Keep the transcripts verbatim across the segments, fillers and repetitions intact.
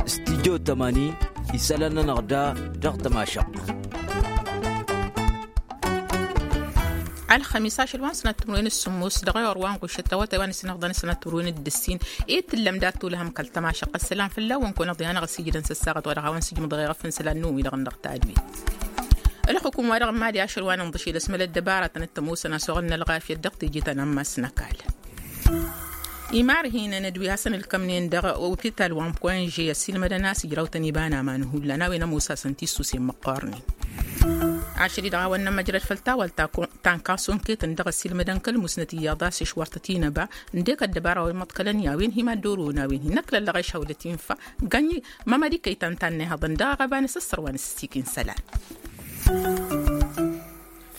Stidyo tămani isălan-nănăɣ da dăɣ-tămašăɣt. Ălxămis ašăl wa n-sănat timǝrwen d-sǝmmos dăɣ-ewăr wa n-ɣušăt awătay wa n-isǝnăɣḍăn sănat timǝrwen d-ǝssin. I-tǝllăm dat-tulăhăm kăl-tămašăɣt ăssălam fălla-wăn kăwăn-ăḍyanăɣ ăsijǝdăn s-ăssaɣăt wa dăɣ-a-wăn sǝjmǝḍăɣ eɣăf n-isălan n-uwi dăɣ-năɣ tadwit. Ălxukum wa dăɣ-n mali ašăl wa n-inḍǝšel ăsmălăt dăbaratăn d-tămoosăn a-s oɣălnăl ɣafyăt dăɣ-teje ta n-ammas n-ăkall. Imarhinăn d-wi hasăn-ǝlkămnen dăɣ-opital wa n-poinže ăssiilmădăn a-s ijrawtăn iba n-aman hullan a-wen ămoos-asăn tissuse n-măqqornen. Ašăl-i-dăɣ a-wăn nămmăjrăd făll-tawalt ta n-kasonketăn dăɣ-ăssiilmădăn kăl-musnăt iyyăḍ a-s išwărtăt inăba ǝndek ăddăbara wa immăḍkălăn i-a-wen hi-mad-orowen a-wen hin-ăklăllăɣ ešhăwlăt infa gănyi mămădikăy ta n-tannehăḍăn dăɣ-aɣăba n-asǝssăr wa n-asǝssikin isălan.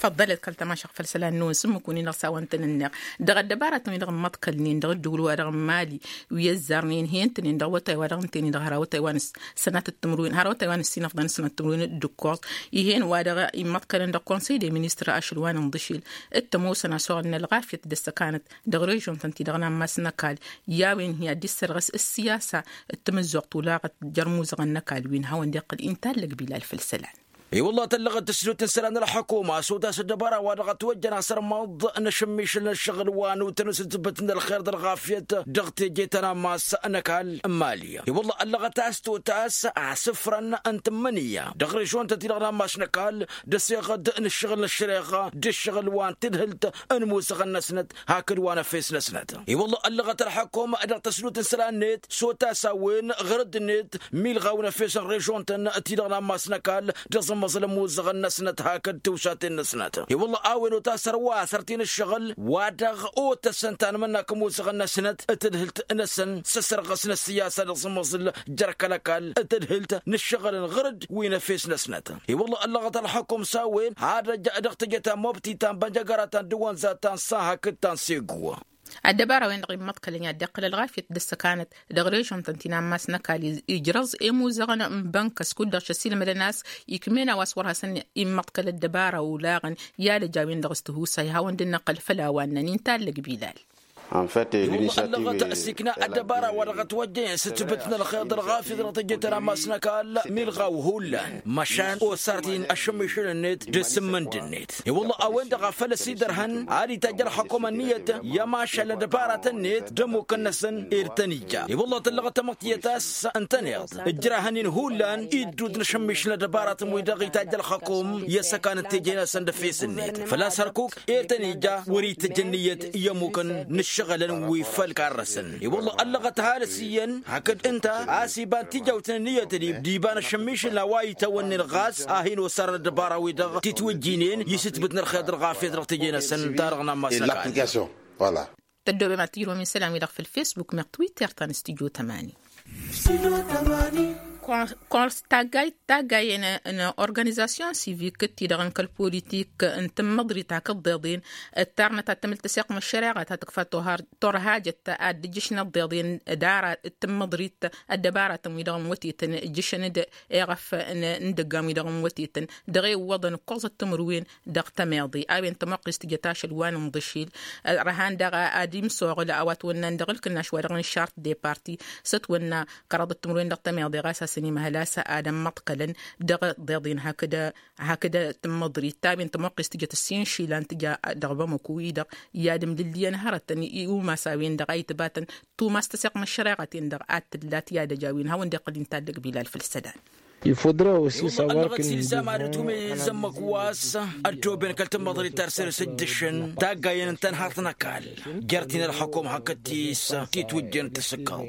Făḍḍălăt kăl-tămašăɣt făll-isălan-năwăn s-ǝmmǝk-win-i-dăɣ s-a-wa n-tăn-ǝnneɣ dăɣ-ăddăbaratăn-wi-dăɣ ǝmmăḍkălnen dăɣ-ǝddǝwǝl-wa-dăɣ n-mali wi ăzzarnen hen-tăn-in dăɣ-awătay-wa-dăɣ ǝnta-en-i-dăɣ har awătay wa n-sănatăt timǝrwen har awătay wa n-ăssinăfḍăn s-sănatăt timǝrwen d-ǝkkoẓ. Ih'-en wa-dăɣ immăḍkălăn dăɣ-konsăy de ministăr ašăl wa n-inḍǝšil d-tămoosăn a-s oɣălnăl ɣafyăt d-ăssăkanăt dăɣ-režion-tăn-ti-dăɣ n-ammas n-ăkall i-a-wen hi-ad-dd-issărɣăs ǝssiyasa d-tamǝzzuɣt olaɣăt jer-imuzăɣăn n-ăkall wi n-hawăn-dd-iqqǝl intallăg bilal făll-isălan. I-wălla tăllăɣăt tǝsdut n-isălan n-ălḥukuma s-otas ăddăbara wa dăɣ-ătwăjjăn asărmăḍ n-ašǝmmišǝl n-ǝššăɣǝl wa n-utăn s-ǝtbǝt n-ălxer d-ălɣafyăt dăɣ-teje ta n-ammas n-ăkall n-mali. I-wălla ăllăɣăt a-s totas asǝfrăn n-tǝmmǝnǝya dăɣ-režion-tăn-ti-dăɣ n-ammas n-ăkall d-ăseɣăd n-ǝššăɣǝl n-ăššăreɣa d-ǝššăɣǝl wa n-tadhǝlt n-imuzăɣăn-năsnăt hakd wa n-efes-năsnăt. I-wălla ăllăɣăt ălḥukuma dăɣ-tăsdut n-isălan-net s-otas a-wen ɣărădd-net milɣaw n-efes n-režion-tăn ti-dăɣ n-ammas n-ăkall d-aẓǝmmăẓǝl n-imuzăɣăn-năsnăt hakd tiwsaten-năsnăt. I-wălla a-wen otas ărwa asăr-t-in ǝššăɣǝl wa dăɣ-otăsăn tanmǝnna kămuzăɣăn-năsnăt d-tadhǝlt-năsăn s-asărɣăs n-ăssiyasa d-aẓǝmmăẓǝl jer-kăl-ăkall d-tadhǝlt n-ǝššăɣǝl n-ɣărădd wi n-efes-năsnăt. I-wălla ăllăɣăt ălxukum s-a-wen ad-ăj dăɣ-teje ta n-mobti ta n-bănjăgăra ta n-dăwănza ta n-san hakd ta n-segu. Ăddăbara-wen-dăɣ immăḍkălăn i-ad-dd-iqqǝl ălɣafyăt d-ăssăkanăt dăɣ-režion-tăn ti n-ammas n-ăkall ijrăẓ i-imuzăɣăn n-bănkăs kud-dăɣ šăssilmădăn a-s ikmen a-wa s-wăr hasăn-immăḍkăl ăddăbara olaɣăn i-ad-ăj a-wen-dăɣ s-tihusay hawăn-dd-năqqǝl făll-a-wa ǝnnăn intallăg bilal. Ăllăɣăt s-ikna ăddăbara wa dăɣ-ătwăjjăyăn s-ǝtbǝt n-ălxer d-ălɣafyăt dăɣ-teje ta n-ammas n-ăkall milɣaw hullan măšan osar-t-in ašămmišǝl-net d-asǝmmǝnd-net. I-wălla a-wen-dăɣ a făl ăsidărhăn ad-itajj ălxăkum ănniyăt i-ămašal n-ăddăbaratăn-net d-ămmukăn-năsăn ed tăn-ija. I-wălla tăllăɣăt tamăḍt tiyyăt a-s ǝntăneḍ ǝjrahăn-in hullan iddud n-ašămmišǝl n-ăddăbaratăn-wi-dăɣ itajj ălxăkum i-ăssăkan n-teje-năsăn d-efes-net făl-a-s hărkuk ed tăn-ija wăr-itǝjj ănniyăt i-ămmukăn n-ǝššăɣǝlăn wi făll-karrăsăn. I-wălla ăllăɣăt ăhalǝs iyyăn hakd ǝnta a-s iba n-tijawt n-ǝnniyăt d-iba n-ašămmišǝl n-a-wa itawănnen ɣas a hin-osarăn ăddăbara-wi-dăɣ titwǝjjinen i-sǝtbǝt n-ălxer d-ălɣafyăt dăɣ-teje-năsăn ta dăɣ-nammas n-ăkall. Tăddoobem ad-tǝjrǝwăm isălan-wi-dăɣ făll-facebook meɣ twitter ta n-studyo tămani. Kors taggayt taggayen n-organizasyon sivik d-ti-dăɣ n-kăl-politik n-tǝmmăḍrit hakd ḍeḍen ǝttarnăt ad-tǝmǝl tăseɣt n-ăššăreɣa ta tǝkfa torhajăt ad-dd-ǝjjǝšnăt ḍeḍen d-ara d-tǝmmăḍrit ăddăbaratăn-wi-dăɣ n-wătetăn ǝjjǝšăn-dd eɣăf n-idăggan-wi-dăɣ n-wătetăn dăɣ-e ǝwwăḍăn ǝkkoẓăt timǝrwen dăɣ-tămeḍe a-wen tămoqqist tǝjăt ašăl wa n-inḍǝšil. Ărhan daɣ ad-imsoɣǝl a-wa ătwănnan dăɣ-ǝlkǝnnaš wa dăɣ-inšart de parti s-ătwănna kăraḍăt timǝrwen dăɣ-tămeḍe ɣas a-s ănimăhăl a-s ad-ămmăḍkălăn dăɣ-ḍeḍen hakd hakd tǝmmăḍrit ta-wen tămoqqist tǝjăt ǝssin išilan tǝja dăɣ-bamăku-i-dăɣ i-ad-ǝmlǝllǝyăn hărătăn i-umas a-wen-dăɣ a itbatăn tumas tăseɣt n-ăššăreɣa-ten-dăɣ ad-tǝllat i-ad-ăj a-wen hawăn-dd-iqqǝl inta ăllăg bilal făll-isălan. Ilfodra osi sawar kǝn-i-dăɣ. Ăllăɣăt s-ilzam ad-ǝtwǝmey izămmăk wa s-ăddooben kăl-tǝmmăḍrit ta dăr-săr-s ǝjjǝšăn taggayen n-tănhărt n-ăkall jer-ti n-ălxăkum hakd ti s-titwǝjjen tǝsǝkkăḍ.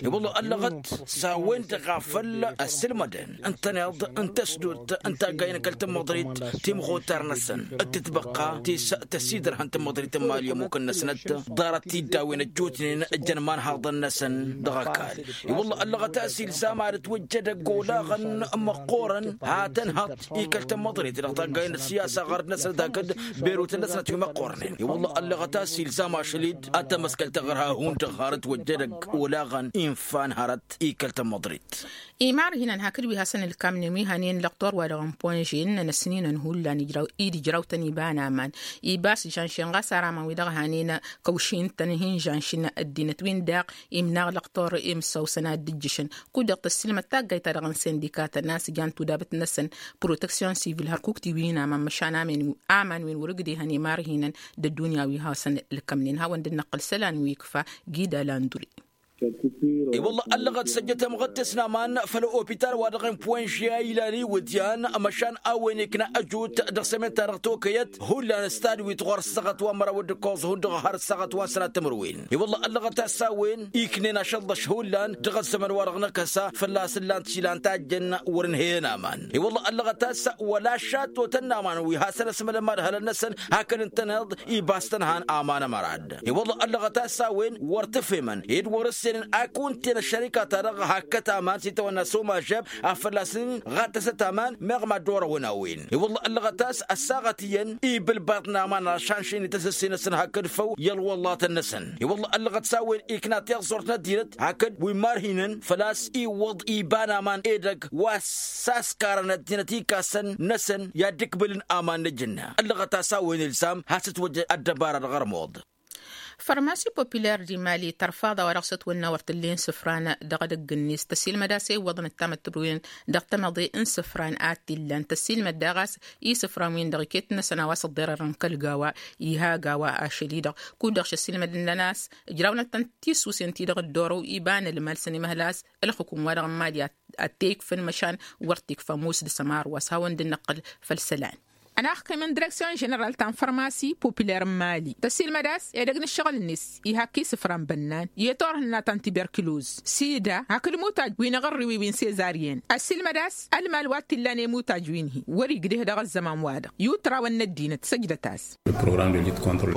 I-wălla ăllăɣăt s-a-wen-dăɣ a făl ăssǝlmădăn ǝntăneḍ n-tăsdut n-taggayen kăl-tǝmmăḍrit timɣutar-năsăn d-tǝtbăqqa ti s-tăsidărhăn tǝmmăḍrit n-mali ămmukăn-năsnăt ḍarăt tiddawen ăjjootnen ăjjăn imanhaḍăn-năsăn dăɣ-ăkall. I-wălla ăllăɣăt a-s ilzam ad-ătwăjjăd ăgg olaɣăn Măqqoorăn ha tănhăḍt ikăl-tăn măḍrit dăɣ-taggay n-ăssiyasa ɣărd-năsăn d-hakd berutăn-năsăn a timăqqoornen i-wălla ăllăɣăt a-s ilzam ašăl-dd ad-tamăskăl taɣărha hundăɣ hărăt wăjjădăg olaɣăn infan hărăt ikăl-tăn măḍrit. Imar hinăn hakd wi hasăn-ǝlkamnen wi hanen lăqtor wa dăɣ-n ponžen n-ăsninăn hullan id-ǝjraw tăn-iba n-aman ibas žanšen ɣas ar aman wi dăɣ-hanen kăwšin-tăn hin-žanšin ăddinăt-win-daɣ imnaɣ lăqtor imsăwsăn ad-dd-ǝjjǝšăn. Kud-dăɣ tăssilmăd taggayt-ta-dăɣ n-sindikatăn a-s jan tudabăt-năsăn proteksyon sivil hărkuk tiwin aman măšan aman wi n-wăr-ǝgdehăn imar hinăn d-ăddunya wi hasăn-ǝlkămnen hawăn-dd-năqqǝl isălan wi ikfa gida landuri. I-wălla ăllăɣăt s-ăjjăt amɣăttes n-aman făll-opital wa dăɣ-inpuwănžya ilan iwǝdyan măšan a-wen ikna ăjut dăɣ-sămen-ta-dăɣ tokăyăt hullan s-tadwit ɣur-ăssaɣăt wa n-măraw d-ǝkkoẓ hundăɣ har ăssaɣăt wa n-sănat timǝrwen. I-wălla ăllăɣăt a-s a-wen iknen ašălḍăš hullan dăɣ-ăzzăman wa dăɣ-năkăsa fălla-s ǝllan-t išilan tajjăn wăr-ǝnhăyăn aman. I-wălla ăllăɣăt a-s wăla šattotăn n-aman wi hasăn-ăsmălăn madhălăn-năsăn hakd ǝntăneḍ ibas tăn-han aman ămărad. I-wălla ăllăɣăt a-s a-wen wăr t-ăfhemăn ed wăr-ǝssenăn a kunten ăššărika-ta-dăɣ hakkăt aman s-itawănna s-omažeb a fălla-s n-ɣattăsăt aman meɣ mad-orăwăn a-wen. I-wălla ăllăɣăt a-s ăssaɣăt iyyăn ibǝlbaḍ n-aman ašanšen i-tăsǝsse-năsăn hakd făw i-ălwăllatăn-năsăn. I-wălla ăllăɣăt s-a-wen ikna tiẓẓurt n-ăddinăt hakd wi n-imarhinăn făl-a-s iwwăḍ iba n-aman edăgg wa s-askarăn ăddinăt ikasăn-năsăn i-ad-dd-ǝkbǝlǝn aman n-ǝjǝnna. Ăllăɣăt a-s a-wen ilzam has-ǝtwăjja ăddăbara dăɣ-ărmuḍ. Fărmasi populer d-imali tărfaḍa wa dăɣ-s ătwănna wăr t-ǝllen isǝfran dăɣ-edăgg-net tăsilmăd a-s iwwăḍăn d-tamǝttǝbruyen dăɣ-tamăḍe n-isǝfran ad-t-illan tăsilmăd daɣ a-s isǝfran-win-dăɣ iket-năsăn a-wa s-ăḍḍerărăn kăl-gawa iha gawa ašăl-i-dăɣ. Kud-dăɣ šăsilmădăn a-s ǝjrawnăt-tăn tisusen-ti-dăɣ dd-orăw iba n-ălmal s-ănimăhăl a-s ălxǝkum wa dăɣ-n mali ad-t-e ikfăn măšan wăr t-ikfa ămoos dăɣ-s ămar wa s-hawăn-dd-năqqǝl făll-isălan. Ănaxkim n-direksyon ženeral ta n-fărmasi populer n-mali tăsilmăd a-s edăgg n-ǝššăɣǝl-net ihakk isǝfran bănnan i-turhǝnna ta n-tiberkiloz sida hakd imutaj wi n-aɣărriwi wi n-sezaryen. Ăsilmăd a-s ălmal wa t-illan i-imutaj wi n-hi wăr-igdeh dăɣ-ăzzăman-wa-dăɣ i-utrawăn n-ăddinăt săjdăt-as.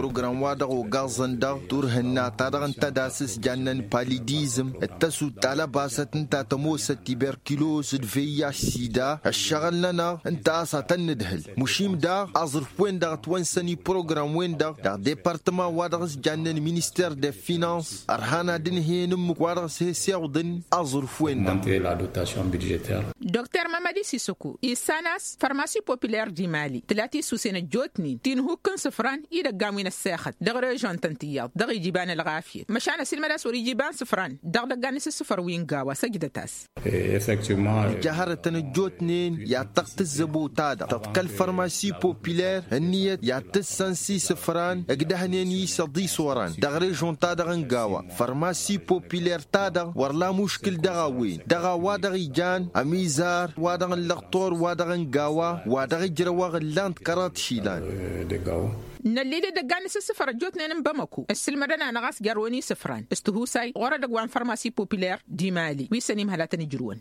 Program wa-dăɣ ogaẓăn dăɣ-turhǝnna-ta-dăɣ ǝnta d-asǝs jannen palidizm d-tăsut ta lăbasăt ǝnta tămoosăt tiberkiloz d-veyyaš sida ăššăɣǝl-nănăɣ ǝnta a-s ad-tăn-nǝdhǝl. Măšim daɣ aẓrǝf-wen-dăɣ ătwănsăn i-program-wen-dăɣ dăɣ-departăman wa dăɣ-s jannen minister de finans ărhan ad-ǝnhăyăn ǝmmǝk wa dăɣ-s he-s iwǝḍăn aẓrǝf-wen-dăɣ. Dr mamadi sisăku issan a-s fărmasi populer d-imali tǝla tisusen ăjjootnen ti n-ihukk n-isǝfran idăggan wi n-ăssexăt dăɣ-režon-tăn tiyyăḍ dăɣ-ija iba n-ălɣafyăt măšan ăsilmăd a-s wăr-ija iba n-isǝfran dăɣ-idăggan n-isǝssǝfăr wi n-gawa săjdăt-as. Ija hărătăn ăjjootnen i-ad-tăɣ tǝzzăbo-ta-dăɣ tăḍkăl fărmasi populer ǝnniyăt i-ad-tǝssăn s-isǝfran ǝgdăhnen i-isăḍis orăn dăɣ-režon-ta-dăɣ n-gawa. Fărmasi populer-ta-dăɣ wăr la muškǝl dăɣ-a-wen dăɣ-a-wa-dăɣ ijan ămizar wa-dăɣ n-lăqtor wa-dăɣ n-gawa wa dăɣ-ǝjrăwăɣ ǝllan-t kăraḍ išilan. Nălli-dd edăggan n-isǝssǝfăr ăjjootnen n-bamăko ǝssǝlmădăn-anăɣ a-s jarrăwăn isǝfran s-tihusay ɣur-edăgg wa n-fărmasi populer d-imali wi s-ănimhăl ad-tăn-ǝjrǝwăn.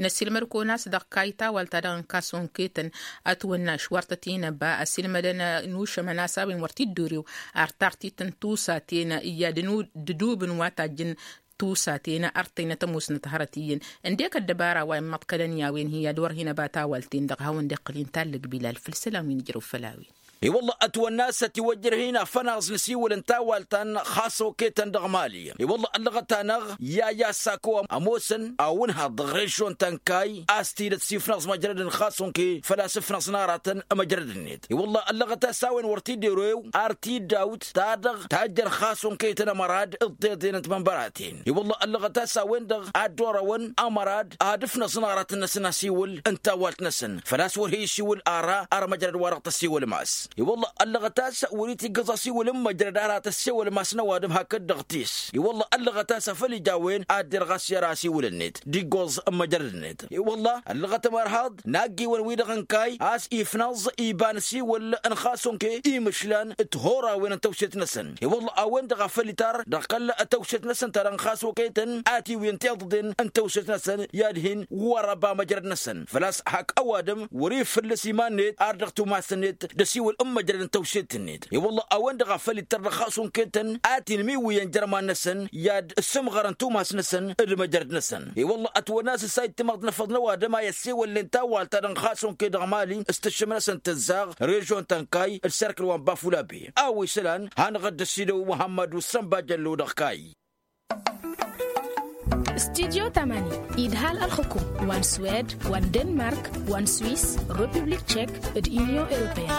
Năssiilmăd kăwăn-as dăɣ-kayy tawalt-ta-dăɣ n-kasonke-tăn ătwănna ăšwărtăt-in ăba ăsiilmădăn n-ušămăn a-s a-wen wăr t-dd-orew ar tartit n-tusaten i-ad-dd-dub n-wa tajjăn tusaten ărtăynăt ămoosnăt hărăt iyyăn. Ǝndek ăddăbara wa immăḍkălăn i-a-wen hi-ad-wăr hin-ăba tawalt-in-dăɣ hawăn-dd-iqqǝl inta ăllăg bilal făll-isălan wi nǝjrăw făll-a-wen. I-wălla ătwănna a-s ătiwăjjăr hin-afănaẓ n-asiwǝl n-tawalt ta n-xasoke-tăn dăɣ-mali. I-wălla ăllăɣăt-anăɣ i-a i-assako ămoosăn awǝnhaḍ dăɣ-režyon ta n-kayy a-s tidăt s-ifnăẓ măjrăd n-xasonke făl-a-s ǝfnăẓ n-aratăn măjrăd-net. I-wălla ăllăɣăt a-s a-wen wăr t-dd-ero-ew ar tidawt ta dăɣ-tajjăn xasonke-tăn ămărad ǝḍḍeḍen n-timănbăraten. I-wălla ăllăɣăt a-s a-wen-dăɣ ad-dd-orăwăn ămărad ad-ǝfnăẓ n-aratăn-năsăn asiwǝl n-tawalt-năsăn făl-a-s wăr he-isiwǝl ara ar măjrăd-wa-dăɣ tăsiwǝlmas. I-wălla ăllăɣăt a-s wăr-itiggǝẓ asiwǝl n-măjrăd ara tăsiwǝlmas n-ăwadǝm hakd dăɣ-tis. I-wălla ăllăɣăt a-s a făl ija a-wen ad-derɣ a-s i-ara asiwǝl-net d-iggoẓ n-măjrăd-net. I-wălla ăllăɣăt ămărhaḍ n-aggiwăn-wi-dăɣ n-kayy a-s ifnăẓ iba n-asiwǝl n-xasonke imǝšlan d-tihorawen n-tăwset-năsăn. I-wălla a-wen-dăɣ a făl itar dăɣ-kăl-tăwset-năsăn ta dăɣ-n xasonke-tăn atiwǝyăn tiḍǝḍen n-tăwset-năsăn i-ad-hin-wăr-ăba măjrăd-năsăn făl-a-s hak ăwadǝm wăr-ifǝllǝs iman-net ar dăɣ-tumas-net d-asiwǝl n-măjrăd n-tăwset-net. I-wălla a-wen-dăɣ a făl ittăr dăɣ-xas unke-tăn a t-inmiwǝyăn jărman-năsăn i-ad-sǝmɣărăn tumas-năsăn d-măjrăd-năsăn. I-wălla ătwănna s-ǝssa ittimaḍ n-afăḍ n-ăwadǝm a i-ăssewăllen tawalt-ta-dăɣ n-xas unke dăɣ-mali s-tǝššǝm-năsăn tǝzzaɣ režion ta n-kay d-serkǝl wa n-bafulabe. A-wa isălan hanăɣ-dd-ăsidăw muhămmăd usăn bajăllo dăɣ-kay. Studyo tamani idhal ălxukum wa n-swed wa n-denmark wa n-swiss, republik tchek, d-union europeen.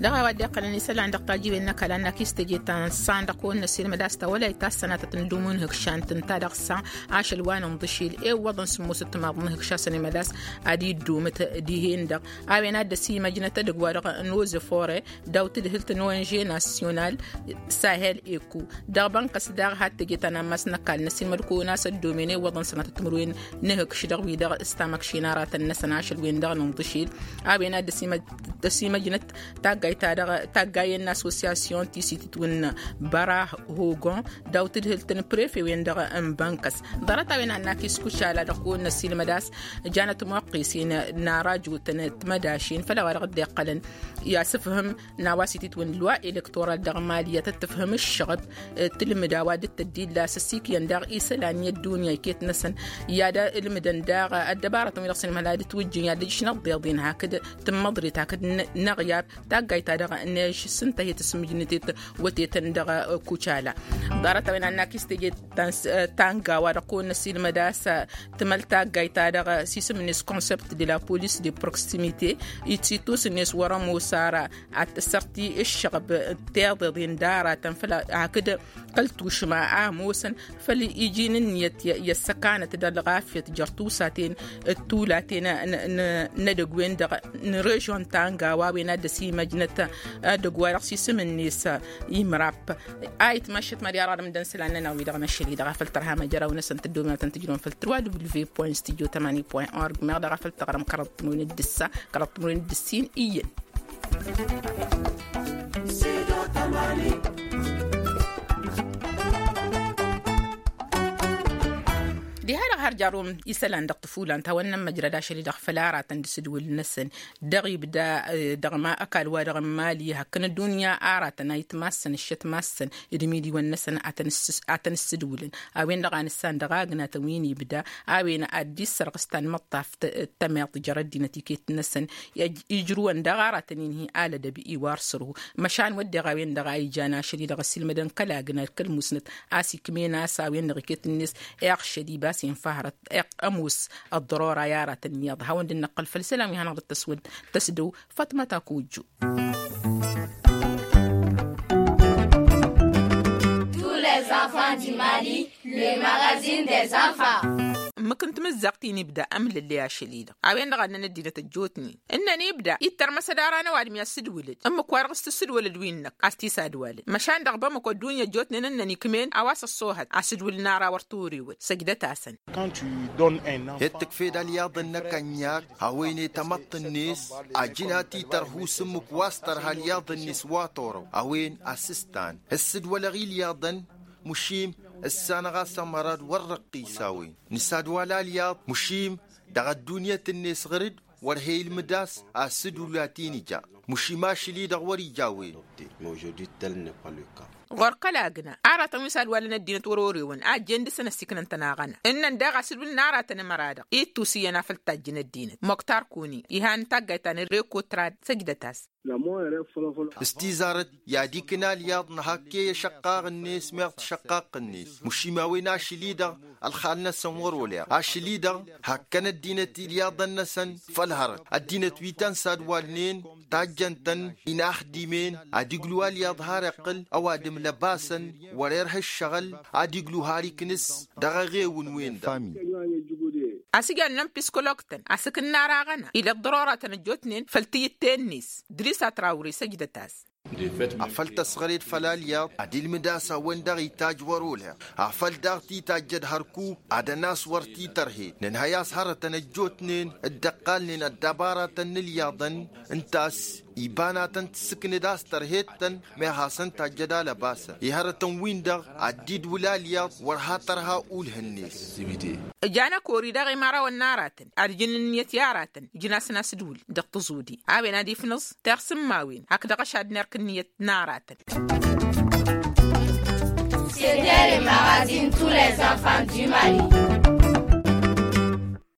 Dăɣ-a-wa dd-iqqălăn isălan dăɣ-tajiwen n-ăkall annak-is teje ta n-san dăɣ-kăwăn-năsilmăd a-s ta wăla itassanatăt n-dum unhǝkšan tǝnta dăɣ-sa. Ašăl wa n-inḍǝšil ewwăḍăn sǝmmos ǝttǝmaḍ n-ihǝkšasăn i-mădas ad-iddumǝt dihen-dăɣ. A-wen ad-dd-ăsimăjnăt edăgg-wa-dăɣ n-ozefore daw-tǝdhǝlt n-onže nasyonal sahel eko. Dăɣ-bănkăs daɣ had-teje ta n-ammas n-ăkall n-ăsimăd kăwăn-as ăddomen ewwăḍăn sănatăt timǝrwen n-ihǝkš dăɣ-wi-dăɣ s-tamăkšin aratăn-năsăn ašăl-wen-dăɣ n-inḍǝšil. A-wen ad-dd-ăsimăjnăt taggayt-ta-dăɣ taggayen n-asosiyasyon ti s-itǝtwǝnna băra hogon daw-tǝdhǝlt n-prefe-wen-dăɣ n-bănkăs. Ḍarăt-a-wen annak iskuc ala dăɣ-kăwăn-năsilmăd a-s janăt muqqisen n-ara jotăn timădašin făll-a-wa dăɣ-dd-iqqălăn i-asǝfhǝm n-a-wa s-itǝtwǝn lwa elektoral dăɣ-mali i-ad-tǝfhǝm ǝššăɣb. Tǝlmǝd a-wa dd-tăddilla s-ăssiikyăn daɣ isălan i-ăddunya iket-năsăn i-ad-ǝlmǝdăn daɣ ăddăbarătăn wi dăɣ-săn imhăl ad-ǝtwǝjjǝn i-ad-ǝjǝš n-ăḍḍeḍen hakd tǝmmăḍrit hakd n-aɣyar. Taggayt-ta-dăɣ n-ežš s-ǝnta he-tǝsmǝjnǝtet wătetăn dăɣ-kucala. Ḍarăt-a-wen annak-istăjet ta n-s-tanga wa dăɣ-kăwăn-năsilmăd a-s tǝmăl taggayt-ta-dăɣ s-isǝm-net concept de la police de proximite. Itsi tusǝn-net wăr-ămoos ara ad-t-sărti ǝššăɣb tiḍeḍen d-aratăn făll-a hakd kăl-tušma a ămoosăn făll-iji n-ǝnniyăt i-ăssăkanăt d-ălɣafyăt jer-tusaten d-tulaten n-edăgg-wen-dăɣ n-režion tanga wa wen ad-dd-ăsimăjnăt edăgg wa dăɣ-s isǝm-net imrap. A itmăššăt mări ara d-ǝmdăn isălan-nănăɣ wi-dăɣ n-ašăl-i-dăɣ a făl tărha măjraw-năsăn tǝddomnătăn tǝjrǝwăn făll-tǝrwa w point studio tamani point org meɣ daɣ a făl tăɣrăm kăraḍ timǝrwen d-ǝssa kăraḍ timǝrwen d-ǝssin iyyăn. Diha-dăɣ har jarrum isălan dăɣ-tǝfulan ta wănnăn măjrăd ašăl-i-dăɣ făll-aratăn d-asǝdwǝl-năsăn dăɣ-ibda dăɣ-ma ăkall wa dăɣ-n mali hakkăn ăddunya aratăn a itmassăn ǝššăt massăn d-imidiwăn-năsăn. A tăn-ǝssǝdwǝlăn a-wen-dăɣ a nǝssan dăɣ-agnatăn wi n-ibda a-wen ad-dd-issărɣǝs tanmăḍtaft d-tămiḍt jer-ăddinăt iket-năsăn. Ijrǝwăn daɣ aratăn-in-hi alădăb iwar sărhu măšan wădden a-wen-dăɣ a ijan ašăl-i-dăɣ ăsilmădăn kăl-agna d-kăl-musnăt a-s ikmen a-s a-wen-dăɣ iket-net iɣšăd ibas infa hărăt iɣ ămoos ăḍḍărora i-aratăn iyyăḍ hawăn-dd-năqqăl făll-isălan wi hanăɣ-dd-tăswăd tăsdăw. Fatmăta kujju. Tous les enfants du mali, le magazine des enfants. Ǝmmǝk n-timǝzzaɣt-in ibda ămlăllăy ašăl-i-dăɣ a-wen-dăɣ a ǝnnăn ăddinăt ăjjootnen ǝnnăn ibda ittărmăs ad-aran ăwadǝm i-ad-sǝdwǝlăd ǝmmǝk-wa-dăɣ s-tǝssǝdwălăd wi-năk a-s t-isadwalăn măšan dăɣ-bamăko ăddunya ăjjootnen ǝnnăn ikmen a-wa s-ăṣṣoohăt asǝdwǝl n-ara wăr t-orewăn săjdăt-asăn. He-d tǝkfed alyaḍ-năk ănyak a-wen i-tamăḍt-net ajǝn a t-itărhu s-ǝmmǝk wa s-tărha alyaḍ-net wa torăw a-wen asǝstan ǝssǝdwălăɣ ilyaḍăn. Măšim ǝssanăɣ-as ămăra d-wăr răqqis a-wen nǝsadwal alyaḍ măšim dăɣ-ăddunyăt-net ɣăr-dd wăr he-ilmǝd a-s asǝdwǝl a t-in-ija. Măšim ašăl-i-dăɣ wăr-ija a-wen. Ɣur-kăl agna aratăn wi s-ad-walăn ăddinăt wăr-orewăn a ăjjeen dăr-săn ăssiiknăn-tăn aɣăna ǝnnăn daɣ asǝdwǝl n-aratăn ămăra-dăɣ ittus iyyăn a făl tajjăn ăddinăt moktar kuni ihan taggayt ta n-reko trad săjdăt-as. S-tizarăt i-ad-ikna alyaḍ nǝhakkey ăšăqqaɣ-net meɣ tăšăqqaqq-net măšim a-wen ašăl-i-dăɣ ălxal-năsăn wăr-oleɣ ašăl-i-dăɣ hakkăn ăddinăt ilyaḍăn-năsăn. Făll-hărăt ăddinăt wi tăn-sadwalnen tajjăn-tăn inaxdimen ad-iglu alyaḍ har iqqǝl ăwadǝm lăbasăn wăr-irha ǝššăɣǝl ad-iglu har iknǝs dăɣ-eɣewǝn-wen-dăɣ. Asǝjan n-ănpǝskolog-tăn asǝkǝnnar aɣăna ila ăḍḍăroratăn ăjjootnen făll-tiyǝtte-net drisat rawre săjdăt-as. Afăl tăsɣăred făll-alyaḍ ad-ilmǝd a-s a-wen-dăɣ itajj wăr-oleɣ afăl daɣ titajjăd hărkuk ad-ănas wăr t-itărhed nǝnhăy a-s hărătăn ăjjootnen dd-ăqqalnen ăddabaratăn n-ilyaḍăn. Ǝnta a-s Iba n-ad-tăn-tǝssǝknǝd a-s tărhed-tăn meɣ hasăn-tajjăd alăbasăn i-hărătăn-win-dăɣ ad-dd-iwǝlal iyyăḍ wăr ha tărha ulh-net. Ǝjanăkori dăɣ-imărawăn n-aratăn ad-ǝjǝn ǝnniyăt i-aratăn ǝjǝn-asăn asǝdwǝl dăɣ-tǝẓudi a-wen ad-ifnǝẓ tiɣsǝmmawen hak dăɣ-ašadner kǝnniyăt n-aratăn. C'était le magazine tous les enfants du Mali.